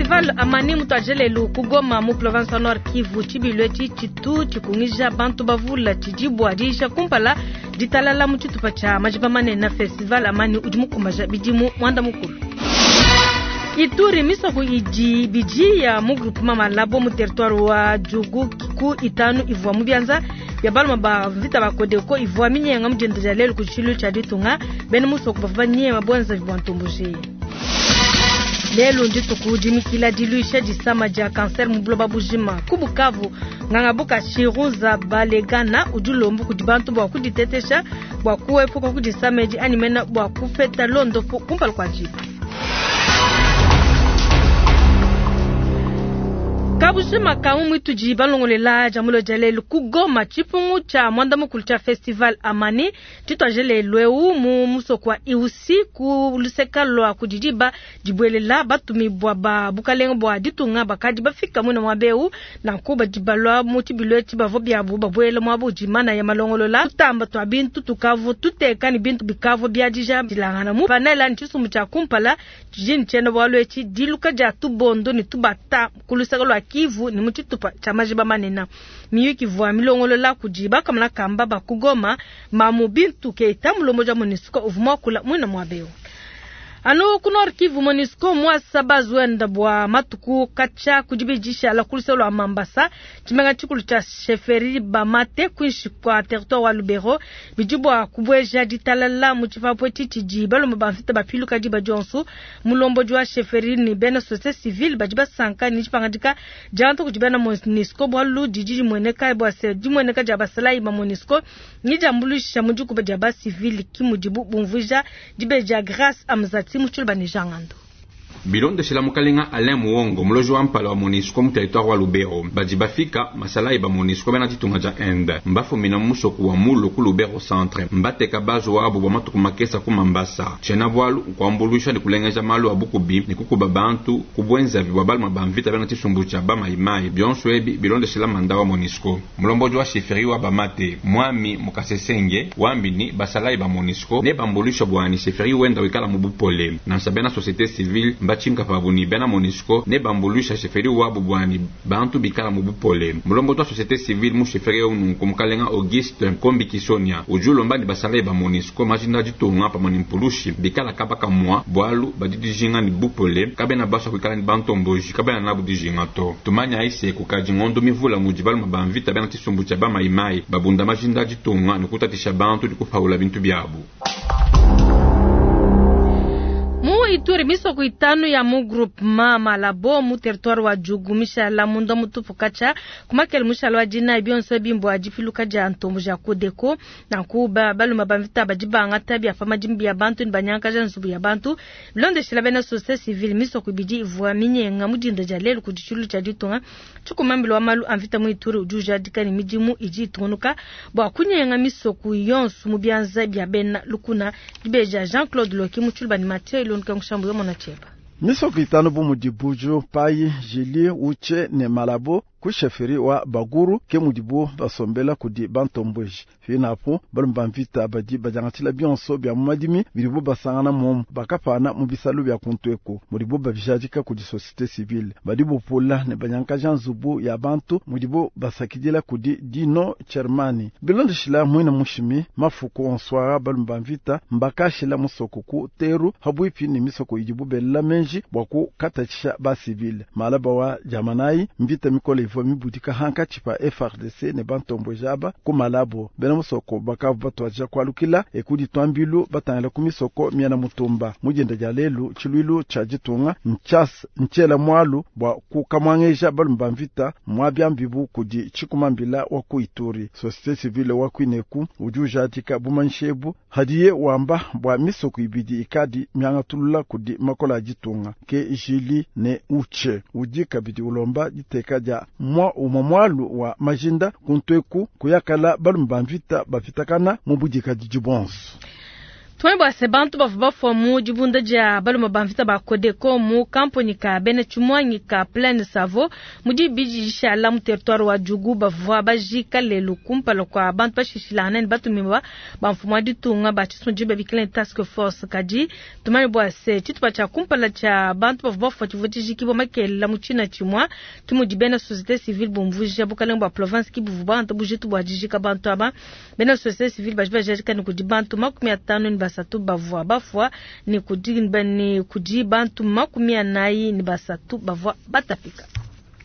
Festival Amani mutuadije lelu ku Goma mu province wa Nord Kivu. Tshibilu etshi tshitu tshikungija bantu bavula tshidi bua diyisha kumpala ditalala mu tshitupa tshia majiba manene. Festival Amani udi mukumbaja bidimu muanda mukulu. Ituri misoko idi ibidi ya mu groupement Malabo mu territoire wa Djugu ku itanu ivua mu bianza bia baluma ba mvita ba Codeco ivua minyenga mu dienda dia lelu ku tshilu tshia ditunga. Bena musoko bavua banyema buenzavi bua ntomboji. Lelu ndituku dimikila diluisha disama dia kanser mu buloba bujima. Ku Bukavu, nganga buka Chiruza Balegana udi ulomba kudi bantu bua kuditetesha bua kuepuka ku disama edi anyi mena bua kupeta londopu kumpala kua diba. Kabujima ka mu muitudi balongolela dia mulo dia lelu ku Goma tshipungu tshia muanda mukulu tshia festival Amani tshituaje lelu eu mu musoko wa Iusi ku luseka lua kudi diba dibuelela. Batumibua ba bukalenge bua ditunga bakadi bafika muine muaba eu, nanku badi balua mu tshibilu etshi bavua biabu babuela muaba udi manaya malongolola. Tutamba tua bintu tukavu tuteka ne bintu bikavua biadija dilangana mu panela ne tshisumbu tshia kumpala tshidi ne tshiena-bualu etshi diluka dia tubondo ne tubata ku luseke lua Kivu ne mu tshitupa tshia majiba manene. Miyuki ivua milongolola kudi bakamona kamba ba ku Goma, Mamu Bintu Keita, mulombodi wa MONUSCO uvua muakula muine muaba eu. Anu ku Nord Kivu, MONUSCO muasa bazuenda bua matuku katshia ku dibidi dishala ku luseke lua Mambasa, tshimenga tshikulu tshia chefferie Bamate kuinshi kua territoire wa Lubero, bidi bua kubueja ditalala mu tshipapu etshi tshidi balume ba mvita bapiluka diba dionso. Mulombodi wa chefferie ne bena societe civile badi basanka ne dipangadika diangata kudi bena MONUSCO bualu didi dimueneka bua se dimueneka dia basalayi ba MONUSCO ne diambuluisha mu dikuba dia ba civile, ki mudibu bumvuija dibeji dia Grace Amzati mu tshiluba ne Jean Ngandu. Bilondeshela mukalenga Alain Muongo, muloji wa mpala wa MONUSCO mu territoire wa Lubero, badi bafika masalayi ba MONUSCO bena ditunga dia Inde mbafumina mu musoko wa Mulu ku Lubero centre, mbateka base wabu bua matuku makesa ku Mambasa. Tshiena bualu nkuambuluisha ne kulengeja malu a bukubi ne kukuba bantu ku buenzavi bua baluma ba mvita bena tshisumbu tshia ba Mayi Mayi, bionso ebi bilondeshela manda wa MONUSCO. Mulombodi wa chefferie wa Bamate, Mwami Mukasesenge, wambi ni basalayi ba MONUSCO nebambuluisha bua ni chefferie wenda wikala mu bupole. Nansha bena societe civile mbatshinka pabu ni bena MONUSCO nebambuluisha chefferie wabu bua ni bantu bikala mu bupole. Mulombodi wa societe civile mu chefferie eu nunku mukalenga Auguste Nkombi Kisonia udi ulomba ni basalayi ba MONUSCO majinda ditunga pamue ni mpulushi bikala kaba kamua bualu badi dijinga ni bupole, kabena basua kuikala ni bantomboji, kabena nabu dijinga to. Tumanyayi se kukadi ngondo mivula mudi baluma ba mvita bena tshisumbu tshia ba Mayi-Mayi babunda majinda a ditunga ne kutatshisha bantu ne kupawula bintu biabu. Mu Ituri, misoko itanu ya mu groupement Malabo mu territoire wa Djugu mishala munda mutupu katshia ku makele mushala wa dinayi bionso ebi mbua dipiluka dia ntombo ja Codeco. Nanku ba baluma ba mvita badi bangata bia pa madimi bia bantu ne banyankaja nzubu ya bantu. Bilondeshila bena societe civile, misoko ibidi ivua minyenga mu dinda dia lelu kudi tshilu tshia ditunga. Tshikumambila wa malu a mvita mu Ituri udi ujadika ne midimu idi itungunuka bua kunyenga misoko yonso mu bianza bia bena lukuna. Dibeji Jean-Claude Loki mu tshiluba ne Mathieu Ilonduka Nkushambu yo mona tshieba. Misoko itanu bu mudi Buju, Pai, Jili, Uche ne Malabo ku chefferie wa Baguru ke mudibu basombela kudi bantomboji. Pinapu balume ba mvita badi badiangatshila bionso bia mu madimi bidibu basangana momu bakapana mu bisalu bia kuntu eku mudibu babijadika kudi société civile. Badi bupula ne banyankaja nzubu ya bantu mudibu basakidila kudi Dino Chermani. Bilondeshila mwina mushimi mafuku onso balume ba mvita mbakashila musoko ku teru habwipi ne misoko idibu belela menji bua kukatatshisha ba civile. Malaba wa Jamanayi mvita mikole ivua mibudika hankatshi pa FARDC ne bantomboji aba ku Malabo. Bena musoko bakavu batuadija kualukila ekudi twambilu batangila ku misoko miana mutumba. Mujenda dia lelu tshiluilu tshia ditunga nchas nchela mwalu bua kukamwangeja balume ba mvita mwabiambibu kudi tshikumambila wa ku Ituri. Société civile wa kwineku udi ujadika bumanshebu hadiye wamba bua misoko ibidi ikadi miangatulula kudi makola a ditunga ke Jili ne Uche. Udi kabidi ulomba diteka dia mwa umwa mwalu wa majinda kuntweku kuyakala balume ba mvita bapitakana mu budikadidi bonso. Tumanye bua se bantu bavua bafua mu dibunda dia balume ba mvita ba Codeco mu kamponyi ka bena tshimuangi ka Plaine Savo mu dibidi dishala mu territoire wa Djugu bavua bajika lelu kumpala kua bantu bashishilangane ne batumibua ba mfumu wa ditunga ba tshisumbu babikila ne task force. Kadi tumanye bua se tshitupa tshia kumpala tshia bantu bavua bafua tshivua tshijikibua makelela mu tshina tshimua ke mudi bena société civile bumvuija bukalenge bua province ki buvua bangata bujitu bua dijika bantu aba. Bena société civile badi bajadika ne kudi bantu 53 bavua bafua ne kudi, ne kudi bantu 43 bavua batapika.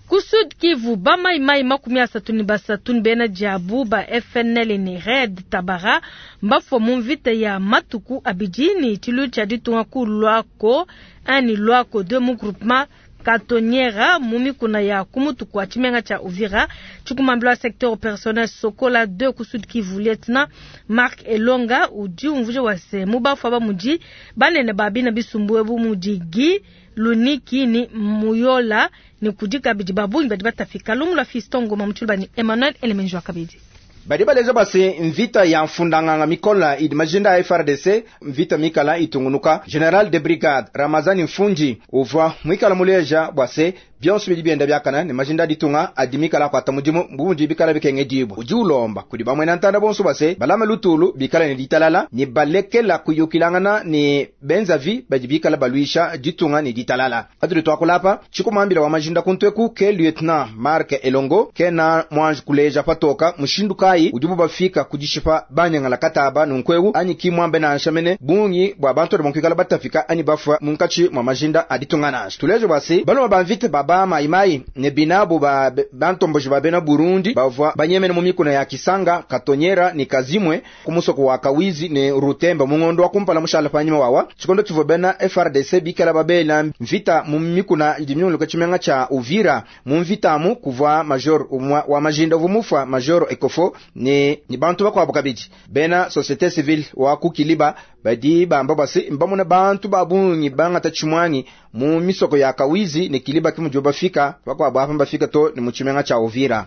Ku Sud Kivu, ba mai mai 33 ne bena diabu ba FNL ne Red Tabara mbafua mu mvita ya matuku abidi ne tshilu tshia ditunga ku Luako 1 ne Luako 2 mu groupement Katonyera mu mikuna ya kumutu kwa tshimenga tshia Uvira. Tshikumambila wa secteur opérationnel Sokola 2 ku Sud Kivu, Lieutenant Marc Elonga udi umvuija wa se mu bafua ba mudi banene ba bina bisumbu ebu mudi Guy Luniki ni Muyola ne kudi kabidi ba bungi badi batafika. Lumu lua Fiston Ngoma mu tshiluba ni Emmanuel Elemenjo wa kabidi. Badi baleja base mvita ya mfundanganga mikola idi majinda ya FARDC mvita mikala itungunuka. General de brigade Ramazani Mfundi uvua mwikala muleja bwase bionso bidi bienda biakana ne majinda ditunga adi mikala kwata mudimu mbundi bikala bikenge dibwa. Udi ulomba kudi bamwena ntanda bonso base balama lutulu bikala ne ditalala ne balekela kuyukilangana ne benzavi badi bikala balwisha ditunga ne ditalala. Atuli twakulapa chikumambila wa majinda kuntweku ke lieutenant Marc Elongo kena mwanji kuleja patoka mushindu kai udibu bafika kudishipa banyangala kataba nunkweu anyi kimwambe na nshamene bungi bwa bantu badi mukwikala batafika anyi bafua munkachi mwa majinda aditunga nansha. Tuleje bwase baloma bamvite baba maimai ne binabo ba bantomboji ba bena Burundi bavua banyemene mu mikuna ya Kisanga Katonyera ni Kazimwe kumusoko wa Kawizi ne Rutemba mungondo wa kumpala mushala panyima wawa chikondo chivo bena FARDC bikala babela mvita mu mikuna idimyuluka chimenga cha Uvira mu mvitamu kuvua major umwa wa majinda vumufa major Ekofo ni bantu bakwabo kabidi bena société civile wa kukiliba badi bamba basi mbamuna bantu babungi bangata chimwangi mu misoko ya Kawizi ne Kiliba kimujo bafika bakwabo hapa bafika to ni muchimenga cha Uvira.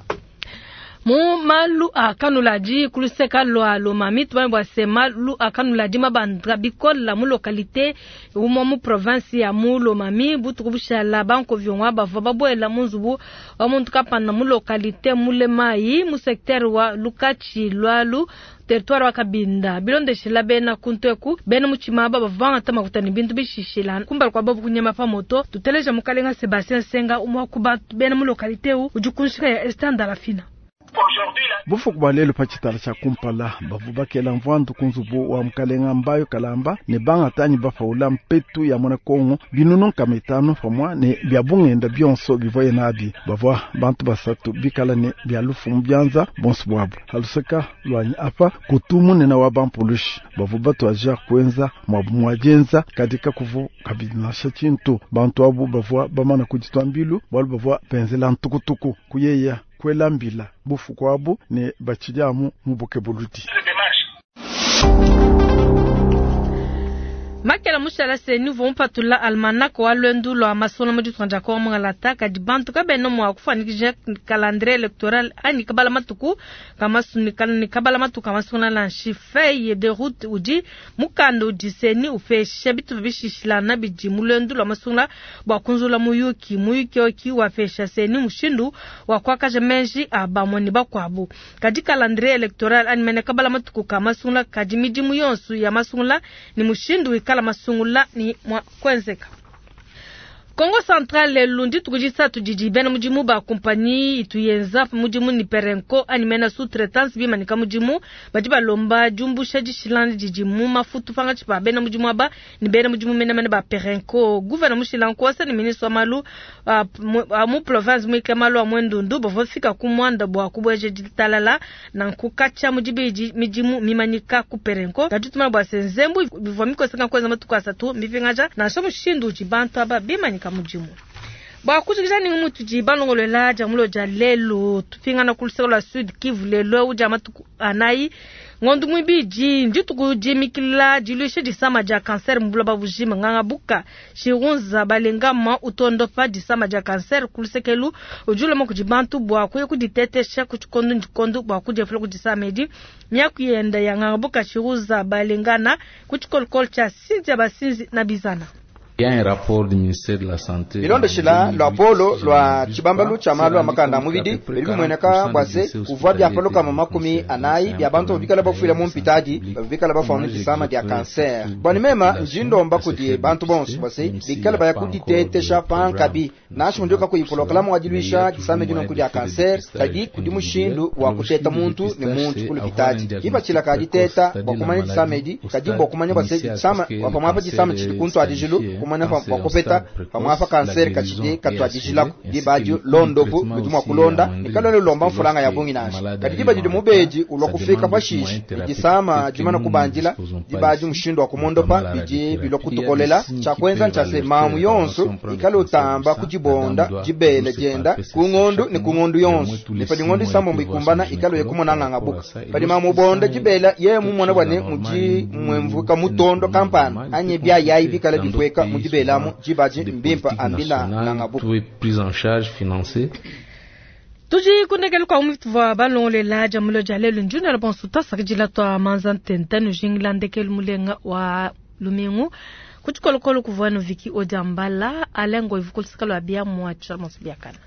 Mu malu akanuladi kuluseka lwa lomami tubambe bwa se malu akanuladi mabandra bikola mu localité umwe mu province ya mu lomami butuku bushala banko vyongwa bavua babwela mu nzubu wa muntu kapanda mu localité mulemai mu secteur wa Lukachi lwalu territoire wa Kabinda bilondeshela bena kuntweku bena muchima baba vanga makuta ni bintu bishishila kumbala kwa babu kunyema pa moto tuteleja mukalenga Sebastien Senga umwa kuba bena mu localité u ujukunshika ya Esther Lafina. Bufuku bwa lelo pa tshitala tshia kumpala bavu bakela mvandu ku nzubu wa mukalenga mbayo kalamba ne bangatanyi bafaula mpetu ya mwana Kongo binunu nkama itanu pamwa ne bya bungenda bionso bivoye nabi bavua bantu basatu bikala ne bya lufu mu byanza bonso bwabo haluseka lwanyi apa kutu munene wa bampulushi bavu batwaja kuenza mwabu mwajenza kadika kuvu kabidi nasha tshintu bantu abu bavua bamana kuditwa mbilu bwalu bavua benzela ntukutuku kuyeya kwela mbila bufu kwabu ne bachilyamu mubuke buludi. Makela mushala se nivo mpatula almanach wa lwendu lwa masomo mu ditunga dia Kongo mungalata kadi bantu kabena mua kufanikisha calendrier electoral anyi kabala matuku kamasuni kabala matuku kamasuna lanshi feuille de route udi mukanda udi seni upesha bitu bishishilana bidi mu lwendu lwa masungula bua kunzula muyuki muyuki oki wapesha seni mushindu wa kuakaja menji a bamwe bakwabu kadi calendrier electoral anyi mene kabala matuku kamasungula kadi midimu yonso ya masungula ni mushindu kala masungula ni mwa kwenzeka. Kongo Central lelo ndituku disatu didi bena mudimu ba compagnie ituyenza mudimu ni Perenco anyi mena sous-traitance bimanika mudimu badi balomba diumbusha dishilana didi mu mafutu pangatshi pa bena mudimu aba ni bena mudimu menamene ba Perenco. Gouverneur Mushila Nkwasa ni ministre wa malu mu province muike malu a mwendundu bavua fika ku mwanda bua kubweja ditalala na nkukatsha mudibidi midimu mimanyika ku Perenco. Kadi tumana bua se nzembu bivua mikoseka nkweza matuku asatu mipingaja nansha mushindu udi bantu aba bimanyika mudimu. Bwa kujikija ni mutu balongolela dia mulo dia lelo tupingana ku luseke lua Sud Kivu lelo udia matuku anayi. Ngondu muibidi ndituku dimikila diluisha disama dia kanser mu buloba bujima. Nganga buka Shirunza Balengama utondopa disama dia kanser ku lusekelu udi uloma kudi bantu bua kuya kuditetesha ku tshikondo ne tshikondo bua kudiepula ku disama edi. Miaku yenda ya nganga buka Shirunza Balengana ku tshikolokolo tshia Cynthia Basinzi na Bizana. Bilondeshila luapolo lua tshibambalu tshia malu a makanda a mubidi bidi bimueneka bua se kuvua bia pa 40 bia bantu bikala bafuila mu mpitadi bikala bafua disama dia kanser. Bua ne mema ndi ndomba kudi bantu bonso bua se bikala baya kuditetesha pankabi nansha mundu kakuyi polokalamu wa diluisha disama dinonku dia kanser kadi kudi mushindu wa kuteta muntu ne muntu ku lupitadi. Kipatshila ka diteta bua kumanya disama edi kadi bua kumanya bua se disama bua pamuapa disama tshidi kuntu adijilu kumanya bua kupeta pamuapa kanser katshidi katuadijilako diba adi londopu ludi mua kulonda ne kalwena lulomba mfulanga ya bungi nansha. Kadi diba didi mubedi ulua kufika pashishe disama dimana kubandila diba adi mushindu wa kumondopa bidi bilua kutukolela. Tshia kuenza ntshia se mamu yonso ikale utamba kudibonda dibele dienda ku ngondu ne ku ngondu yonso ne padi ngondu isambombo ikumbana ikale uye kumona nganga buka. Padi mamu ubonda dibela yeye mumona bua ne mudi mwemvuka mutondo kampanda anyi bia yayi bikala bipueka mu dibelamu diba adi mbimpa ambila nganga buka. Tudi kundekela kwa mutuvua balongolela dia mulo dia lelu njuna la bonso twasakidila twa manza ntenta nujingila ndekelu mulenga wa lumingu ku tshikolokolo kuvua no viki odiambala alengo ivukulusaka lua bia mua tsha monso biakana.